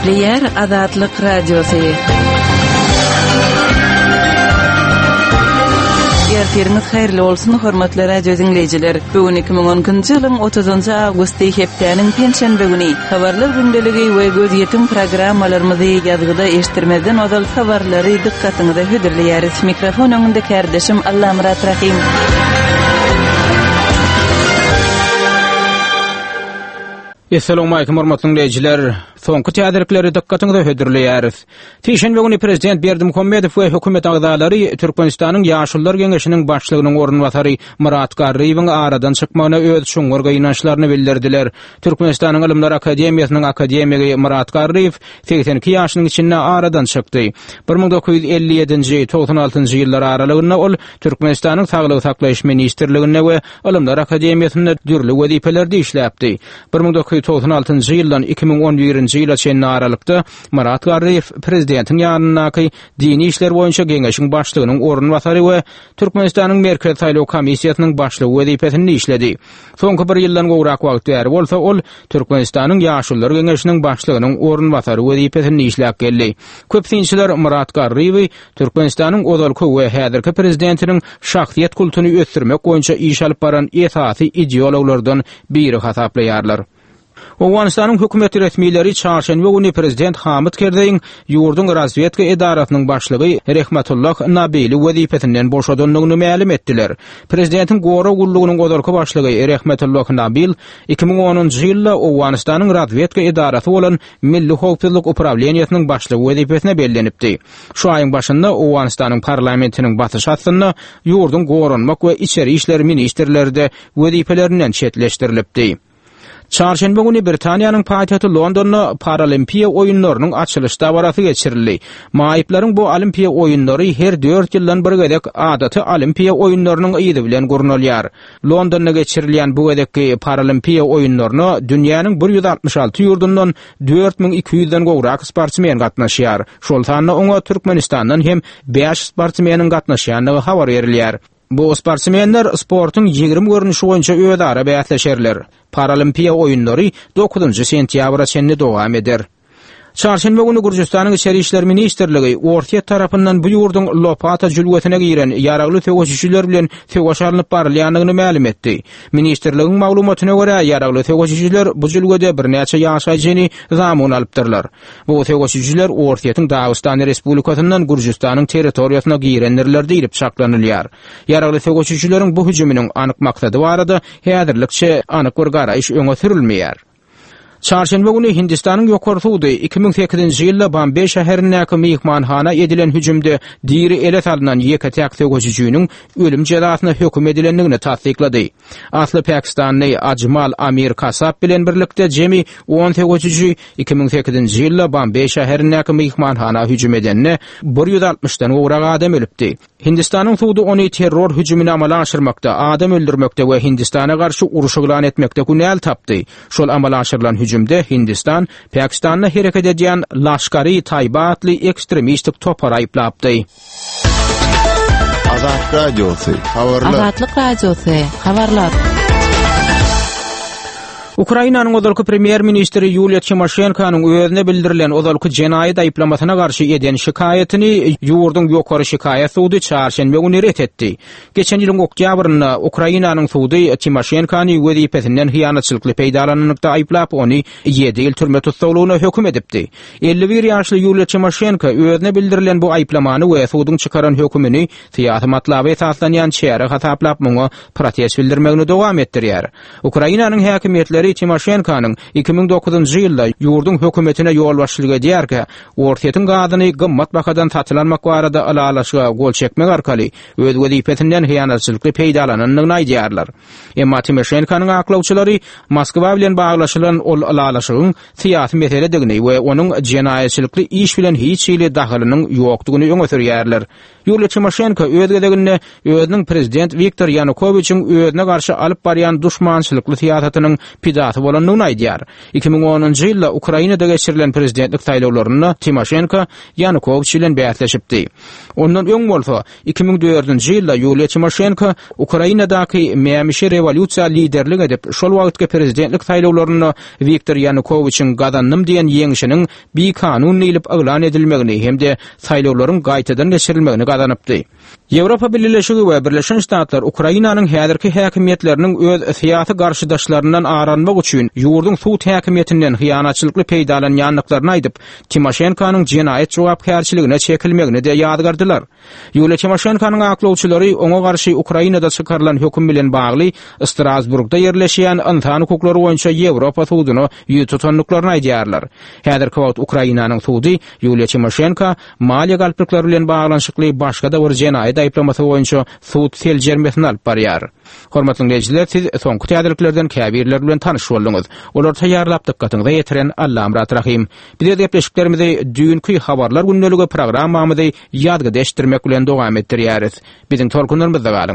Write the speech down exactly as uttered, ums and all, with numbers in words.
Gepleýär Azatlyk Radiosy. Ertiriňiz haýyrly bolsun, hormatly radio diňleýjiler. Bu gün iki müň on ikinji ýylyň otuzynjy awgusty hepdäniň penşenbe güni. Habarlar gündeligi we gözýetim programmalarymyzy ýazgyda eşitdirmezden ozal habarlary dykgatyňyza hödürleýäris. Mikrofon öňünde kärdeşim Allamyrat Rahim. Esselamu aleýkum hormatly dinleýjiler. Soňky täzelikleri dykgatyňyza hödürleýäris. Sişenbe güni Prezident Berdimuhamedow we hökümet agzalary Türkmenistanyň Ýaşulular Geňeşiniň başlygynyň orunbasary Myrat Garryýewiň aradan çykmagyna öz çuňňur gynançlaryny bildirdiler. Türkmenistanyň Ylymlar Akademiýasynyň akademigi Myrat Garryýew segsen iki ýaşynyň içinde aradan çykdy. bir müň dokuz ýüz elli ýedinji, togsan altynjy ýyllar aralygynda ol Türkmenistanyň Saglygy saklaýyş ministrliginde we Ylymlar Akademiýasynda dürli wezipelerde işläpdi. bir müň dokuz ýüz togsan altynjy ýyldan iki müň on birinji ýyla çenli aralykda Myrat Garryýew prezidentiň ýanyndaky Dini işler boýunça geňeşiň başlygynyň orunbasary we Türkmenistanyň Merkezi saýlaw komissiýasynyň başlygy wezipesinde işledi. Soňky bir ýyldan gowrak wagt bäri bolsa ol Türkmenistanyň Ýaşulular geňeşiniň başlygynyň orunbasary wezipesinde işläp geldi. Köp synçylar Myrat Garryýewi Türkmenistanyň ozalky we häzirki prezidentiniň şahsyýet kultuny ösdürmek boýunça iş alyp baran esasy ideologlardan biri hasaplaýarlar. Owganystanyň hökümet resmileri çarşenbe güni prezident Hamid Kerzeýiň ýurduň razwedka edarasynyň başlygy Rehmetullah Nabili wezipesinden boşadandygyny mälim etdiler. Prezidentiň gorag gullugynyň ozalky başlygy Rehmetullah Nabil iki müň onunjy ýylda Owganystanyň razwedka edarasy bolan Milli howpsuzlyk uprawleniýasynyň başlygy wezipesine bellenipdi. Şu aýyň başynda Owganystanyň parlamentiniň basyşy astynda ýurduň goranmak we içeri işler ministrleri-de wezipelerinden çetleşdirilipdi. Çarşenbe güni Britaniýanyň paýtagty Londonda Paralimpiýa oýunlarynyň açylyş dabarasy geçirildi. Maýyplaryň bu Olimpiýa oýunlary her dört ýyldan bir gezek adaty Olimpiýa oýunlarynyň yzy bilen gurnalýar. Londonda geçirilýän bu gezekki Paralimpiýa oýunlaryna dünýäniň bir ýüz altmyş alty ýurdundan dört müň iki ýüzden gowrak sportsmen gatnaşýar. Şol sanda oňa Türkmenistandan hem bäş sportsmeniň gatnaşýandygy habar berilýär. Bu sportsmenler sportuň ýigrimi görnüşi boýunça özara bäsleşerler. Paralimpiýa oýunlary dokuzynjy sentýabra çenli dowam eder. Çarşenbe güni Gürjüstanyň Içeri işler ministrligi Orsýet tarapyndan bu ýurduň Lopata jülgesine giren ýaragly söweşijiler bilen söweş alnyp barylýandygyny mälim etdi. Ministrligiň maglumatyna görä, ýaragly söweşijiler bu jülgede birnäçe ýaşaýjyny zamun alypdyrlar. Bu söweşijiler Orsýetiň Dagystan Respublikasyndan Gürjüstanyň territoriýasyna girendirler diýlip çaklanylýar. Ýaragly söweşijileriň bu hüjüminiň anyk maksady barada häzirlikçe anyk bir garaýyş öňe sürülmeýär. Çarşenbe güni Hindistanyň ýokary sudy iki müň sekizinji ýylda Bombay şäherindäki myhmanhana edilen hüjümde diri ele salynan ýeke-täk söweşijiniň ölüm jezasyna höküm edilendigini tassyklady. Asly pakistanly Ajmal Amir Kasap bilen birlikde jemi on söweşiji iki müň sekizinji ýylda Bombay şäherindäki myhmanhana hüjüm edende bir ýüz altmyşdan gowrak adam ölüpdi. Hindistanyň sudy ony terror hüjümini amala aşyrmakda, adam öldürmekde we Hindistana garşy uruş yglan etmekde günäli tapdy. Şol amala aşyrylan hüjümde Hindistan, Pakistanda hereket edýän Laşkari Tayba atly ekstremistik topar aýyplapdy. Azat Radiosy, habarlar. Azatlyk Radiosy, habarlar. Ukrainanyň ozalky premýer-ministri Ýuliýa Timoşenkonyň özüne bildirilen ozalky jenaýat aýyplamasyna garşy eden şikaýatyny ýurduň ýokary şikaýat sudy çarşenbe güni ret etdi. Geçen ýylyň oktýabrynda Ukrainanyň sudy Timoşenkony wezipesinden hyýanatçylykly peýdalananlykda aýyplap, ony ýedi ýyl türme tussaglygyna höküm edipdi. Elli bir ýaşly Ýuliýa Timoşenko özüne bildirilen bu aýyplamany we suduň çykaran hökümini syýasy matlaba esaslanýan çäre hasaplap, muňa protest bildirmegini dowam etdirýär. Ukrainanyň häkimiýetleri Timoşenkonyň iki müň dokuzynjy ýylda ýurduň hökümetine ýolbaşçylyk edýärkä, Orsýetiň gazyny gymmat bahadan satyn almak barada ylalaşyga gol çekmek arkaly öz wezipesinden hyýanatçylykly peýdalanandygyny aýdýarlar. Emma Timoşenkonyň aklawçylary Moskwa bilen baglaşylan ol ylalaşygyň syýasy meseledigini we onuň jenaýatçylykly iş bilen hiç hili dahylynyň ýokdugyny öňe sürýärler. Ýuliýa Timoşenko öz gezeginde özüniň prezident Wiktor Ýanukowiçiň özüne garşy alyp barýan duşmançylykly syýasatynyň pidasy agzasy bolandygyny aýdýar. Iki müň onunjy ýylda Ukrainada geçirilen prezidentlik saýlawlarynda Timoşenko Ýanukowiç bilen bäsleşipdi. Ondan öň bolsa iki müň dördünji ýylda Ýuliýa Timoşenko Ukrainadaky mämişi rewolýusiýa liderlik edip, şol wagtky prezidentlik saýlawlarynda Wiktor Ýanukowiçiň gazandym diýen ýeňşiniň bikanun diýlip yglan edilmegini hem-de saýlawlaryň gaýtadan geçirilmegini gazanypdy. Ýewropa Bileleşigi we Birleşen Ştatlar Ukrainanyň häzirki häkimiýetleriniň öz syýasy garşydaşlaryndan ar almak üçin ýurduň sud häkimiýetinden hyýanatçylykly peýdalanýandyklaryny aýdyp, Timoşenkonyň jenaýat jogapkärçiligine çekilmegini-de ýazgardylar. Ýuliýa Timoşenkonyň aklawçylary oňa garşy Ukrainada çykarylan höküm bilen bagly Strasburgda ýerleşýän ynsan hukuklary boýunça Ýewropa suduna ýüz tutandyklaryny aýdýarlar. Häzirki wagt Ukrainanyň sudy Ýuliýa Timoşenko maliýe galplyklary bilen baglanyşykly başga-da bir jenaýat aýyplamasy boýunça sud seljermesini alyp barýar. Hormatly dinleýjiler, siz soňky täzeliklerden käbirleri bilen tanyş bolduňyz. Olary taýýarlap dykgatyňyza ýetiren Allamyrat Rahym. Biz öz gepleşiklerimizi düýnki Habarlar gündeligi programmamyzy ýazgyda eşitdirmek bilen dowam etdirýäris. Biziň tolkunlarymyzda galyň.